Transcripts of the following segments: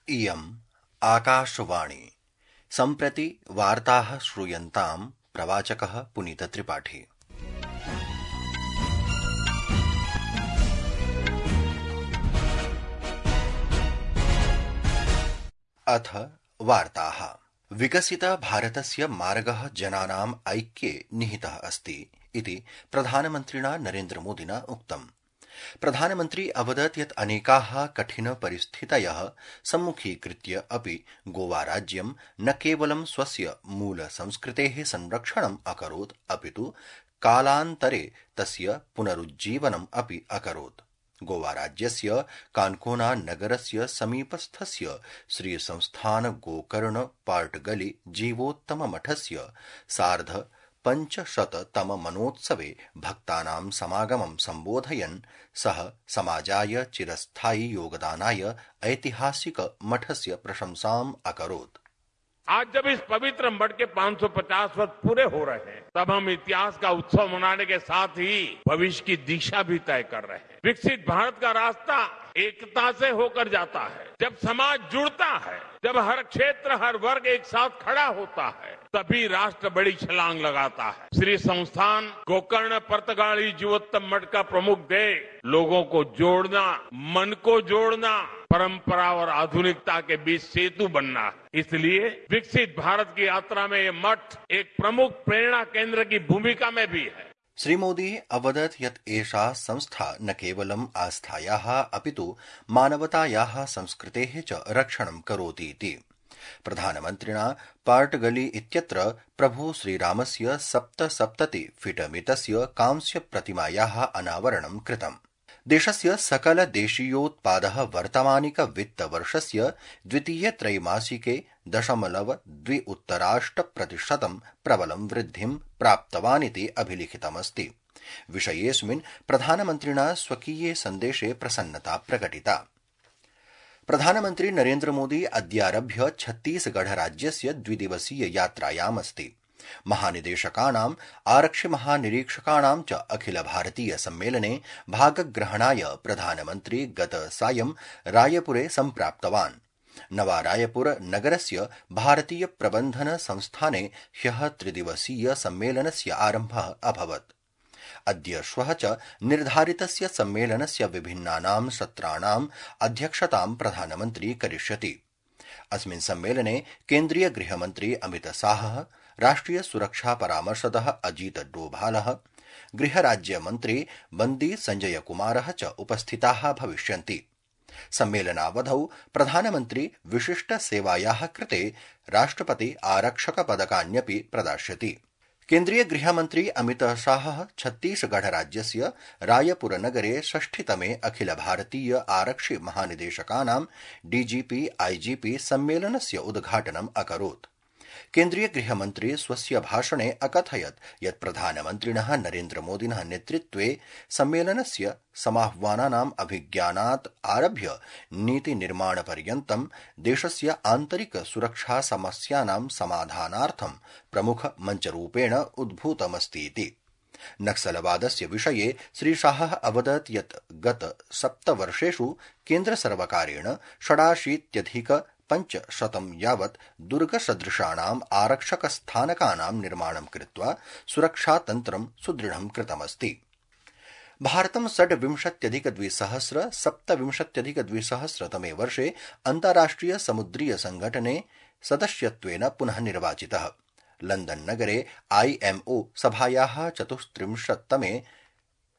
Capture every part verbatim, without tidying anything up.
इयम् आकाशवाणी। सम्प्रति वार्ताः श्रूयन्ताम् प्रवाचकः पुनीतत्रिपाठी। अथ वार्ताः। विकसित भारतस्य मार्गः जनानाम् ऐक्ये निहितः अस्ति इति प्रधानमन्त्रिणा नरेन्द्रमोदिना उक्तम्। प्रधानमन्त्री अवदत् यत् अनेकाः कठिन परिस्थितयः सम्मुखीकृत्य अपि गोवाराज्यं न केवलं स्वस्य मूल संस्कृतेः संरक्षणम् अकरोत् अपितु कालान्तरे तस्य पुनरुज्जीवनम् अपि अकरोत्। गोवाराज्यस्य कान्कोना नगरस्य समीपस्थस्य श्री संस्थान गोकर्ण पार्टगली जीवोत्तम मठस्य सार्ध पञ्चशततम मनोत्सवे भक्तानां समागमं सम्बोधयन् सः समाजाय चिरस्थायी योगदानाय ऐतिहासिक मठस्य प्रशंसाम् अकरोत्। आज जब इस पवित्र मठ के पाँच सौ पचास वर्ष पूरे हो रहे हैं, तब हम इतिहास का उत्सव मनाने के साथ ही भविष्य की दिशा भी तय कर रहे हैं। विकसित भारत का रास्ता एकता से होकर जाता है। जब समाज जुड़ता है, जब हर क्षेत्र हर वर्ग एक साथ खड़ा होता है, तभी राष्ट्र बड़ी छलांग लगाता है। श्री संस्थान गोकर्ण पर्तगाली जीवोत्तम मठ का प्रमुख ध्येय लोगों को जोड़ना, मन को जोड़ना, परंपरा और आधुनिकता के बीच सेतु बनना है। इसलिए विकसित भारत की यात्रा में ये मठ एक प्रमुख प्रेरणा केंद्र की भूमिका में भी है। श्री मोदी अवदत् यत् एषा संस्था न केवलम् आस्थायाः अपितु मानवतायाः संस्कृतेः च रक्षणं करोतीति। प्रधानमन्त्रिणा पार्टगली इत्यत्र प्रभु श्रीरामस्य सप्तसप्तति फीट मितस्य कांस्य प्रतिमायाः अनावरणं कृतम्। देशस्य सकल देशीयोत्पादः वर्तमानिक वित्तवर्षस्य द्वितीय त्रैमासिके दशमलव द्वि उत्तराष्ट प्रतिशतं प्रबलं वृद्धिं प्राप्तवानिति अभिलिखितमस्ति। विषयेऽस्मिन् प्रधानमन्त्रिणा स्वकीये सन्देशे प्रसन्नता प्रकटिता। प्रधानमन्त्री नरेन्द्र मोदी अद्यारभ्य छत्तीसगढ़ राज्यस्य द्विदिवसीय यात्रायामस्ति। महानिदेशकानां आरक्षिमहानिरीक्षकाणां च अखिल भारतीय सम्मेलने भागग्रहणाय प्रधानमन्त्री गत सायं रायपुरे सम्प्राप्तवान्। नवा रायपुर नगरस्य भारतीय प्रबन्धन संस्थाने ह्यः त्रिदिवसीय सम्मेलनस्य आरम्भः अभवत्। अद्य श्वः च निर्धारितस्य सम्मेलनस्य विभिन्नानां सत्राणाम् अध्यक्षतां प्रधानमन्त्री करिष्यति। अस्मिन् सम्मेलने केन्द्रीय गृहमन्त्री अमित शाहः, राष्ट्रिय सुरक्षा परामर्शदः अजीत डोभालः, गृहराज्यमन्त्री बन्दी संजय कुमारः च उपस्थिताः भविष्यन्ति। सम्मेलनावधौ प्रधानमन्त्री विशिष्ट सेवायाः कृते राष्ट्रपति आरक्षक पदकान्यपि प्रदास्यति। केन्द्रीय गृहमन्त्री अमित शाहः छत्तीसगढ़ राज्यस्य रायपुर नगरे षष्ठितमे अखिल भारतीय आरक्षि महानिदेशकानां डीजीपी आईजीपी सम्मेलनस्य उद्घाटनम् अकरोत्। केन्द्रीय गृहमन्त्री स्वस्य भाषणे अकथयत् यत् प्रधानमन्त्रिणः नरेन्द्र मोदिनः नेतृत्वे सम्मेलनस्य समाह्वानानाम् अभिज्ञानात् आरभ्य नीतिनिर्माणपर्यन्तं देशस्य आन्तरिक सुरक्षा समस्यानां समाधानार्थं प्रमुख मञ्चरूपेण उद्भूतमस्तीति। नक्सलवादस्य विषये श्रीशाहः अवदत् यत् गत सप्तवर्षेषु केन्द्रसर्वकारेण षडाशीत्यधिक पञ्चशतं यावत् दुर्गसदृशानाम् आरक्षकस्थानकानां निर्माणं कृत्वा सुरक्षातन्त्रं सुदृढं कृतमस्ति। भारतं षड्विंशत्यधिकद्विसहस्र सप्तविंशत्यधिकद्विसहस्रतमे वर्षे अन्ताराष्ट्रिय समुद्रीय संघटने सदस्यत्वेन पुनः निर्वाचितः। लण्डन् नगरे आईएमओ सभायाः चतुस्त्रिंशत्तमे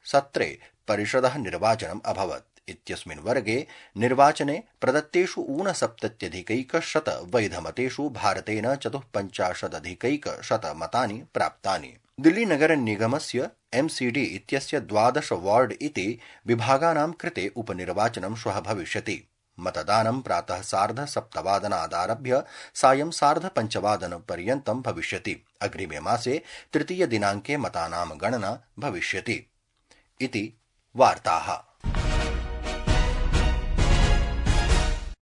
सत्रे परिषदः निर्वाचनम् अभवत्। इत्यस्मिन् वर्गे निर्वाचने प्रदत्तेषु ऊनसप्तत्यधिकैकशत वैधमतेषु भारतेन चतुःपञ्चाशदधिकैकशत मतानि प्राप्तानि। दिल्ली नगर निगमस्य एमसीडी इत्यस्य द्वादश वार्ड इति विभागानां कृते उपनिर्वाचनं श्वः भविष्यति। मतदानं प्रातः सार्ध सप्तवादनादारभ्य सायं सार्ध पञ्चवादनपर्यन्तं भविष्यति। अग्रिमे मासे तृतीय दिनाङ्के मतानां गणना भविष्यति इति वार्ताः।